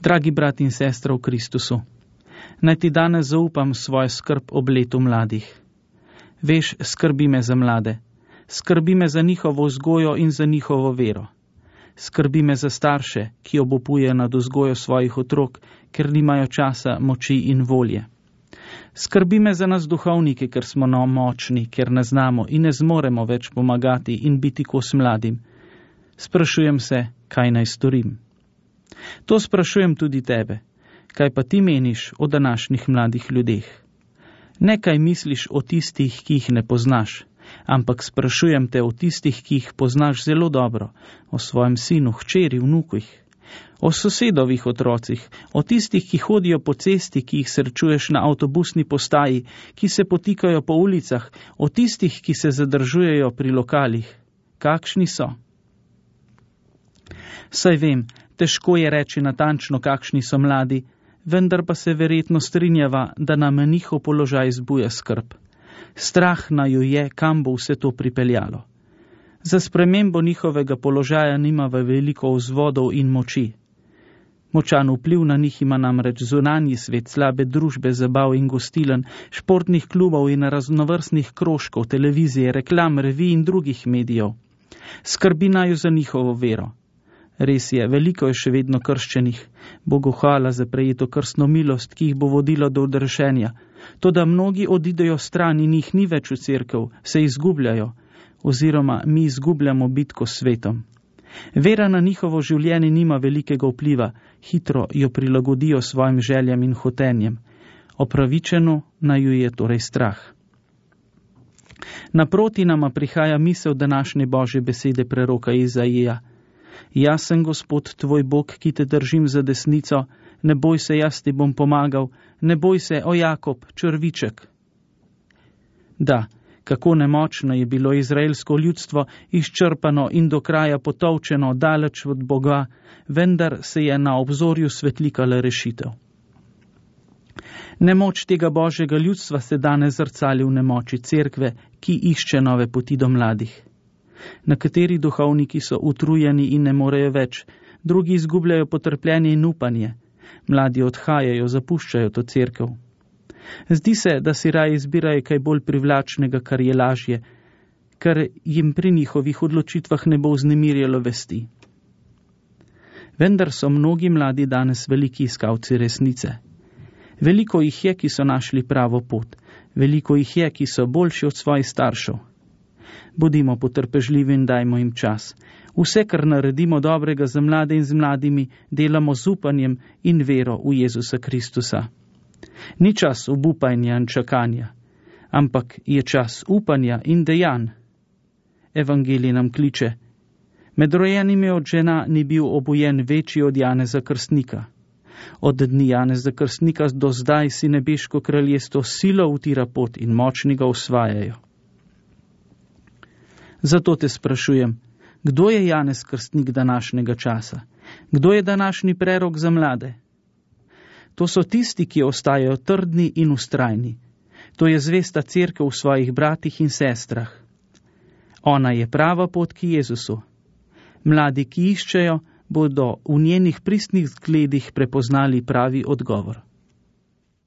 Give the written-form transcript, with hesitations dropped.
Dragi brat in sestra v Kristusu, naj ti danes zaupam svojo skrb ob letu mladih. Veš, skrbi me za mlade, skrbi me za njihovo vzgojo in za njihovo vero. Skrbi me za starše, ki obupujejo nad vzgojo svojih otrok, ker nimajo časa, moči in volje. Skrbi me za nas duhovnike, ker smo močni, ker ne znamo in ne zmoremo več pomagati in biti kos mladim. Sprašujem se, kaj naj storim. To sprašujem tudi tebe. Kaj pa ti meniš o današnjih mladih ljudeh? Ne kaj misliš o tistih, ki jih ne poznaš, ampak sprašujem te o tistih, ki jih poznaš zelo dobro, o svojem sinu, hčeri, vnukih, o sosedovih otrocih, o tistih, ki hodijo po cesti, ki jih srečuješ na avtobusni postaji, ki se potikajo po ulicah, o tistih, ki se zadržujejo pri lokalih. Kakšni so? Saj vem, težko je reči natančno, kakšni so mladi, vendar pa se verjetno strinjava, da nam njihov položaj zbuja skrb. Strah naju je, kam bo vse to pripeljalo. Za spremembo njihovega položaja nima veliko vzvodov in moči. Močan vpliv na njih ima namreč zunanji svet, slabe družbe, zabav in gostilen, športnih klubov in raznovrstnih krožkov, televizije, reklam, revij in drugih medijev. Skrbi naju za njihovo vero. Res je, veliko je še vedno krščenih, Bogu hvala za prejeto krstno milost, ki jih bo vodilo do odrešenja. Toda mnogi odidejo stran in jih ni več v cerkev, se izgubljajo, oziroma mi izgubljamo bitko s svetom. Vera na njihovo življenje nima velikega vpliva, hitro jo prilagodijo svojim željam in hotenjem. Opravičeno naju je torej strah. Naproti nama prihaja misel današnje Božje besede preroka Izaija. Jaz sem Gospod tvoj Bog, ki te držim za desnico, ne boj se, jaz ti bom pomagal, ne boj se, o Jakob, črviček. Da, kako nemočno je bilo izraelsko ljudstvo, izčrpano in do kraja potolčeno, daleč od Boga, vendar se je na obzorju svetlikala rešitev. Nemoč tega Božjega ljudstva se danes zrcali v nemoči cerkve, ki išče nove poti do mladih. Nekateri duhovniki so utrujeni in ne morejo več, drugi izgubljajo potrpljenje in upanje. Mladi odhajajo, zapuščajo to cerkev. Zdi se, da si raje izbirajo kaj bolj privlačnega, kar je lažje, kar jim pri njihovih odločitvah ne bo vznemirjalo vesti. Vendar so mnogi mladi danes veliki iskalci resnice. Veliko jih je, ki so našli pravo pot. Veliko jih je, ki so boljši od svojih staršev. Bodimo potrpežljivi in dajmo jim čas. Vse, kar naredimo dobrega za mlade in z mladimi, delamo z upanjem in vero v Jezusa Kristusa. Ni čas obupanja in čakanja, ampak je čas upanja in dejanj. Evangelij nam kliče: med rojenimi od žena ni bil obojen večji od Janeza Krstnika. Od dni Janeza Krstnika do zdaj si nebeško kraljestvo silo utira pot in močni ga osvajajo. Zato te sprašujem, kdo je Janez Krstnik današnjega časa? Kdo je današnji prerok za mlade? To so tisti, ki ostajajo trdni in ustrajni. To je zvesta cerkev v svojih bratih in sestrah. Ona je prava pot k Jezusu. Mladi, ki iščejo, bodo v njenih pristnih zgledih prepoznali pravi odgovor.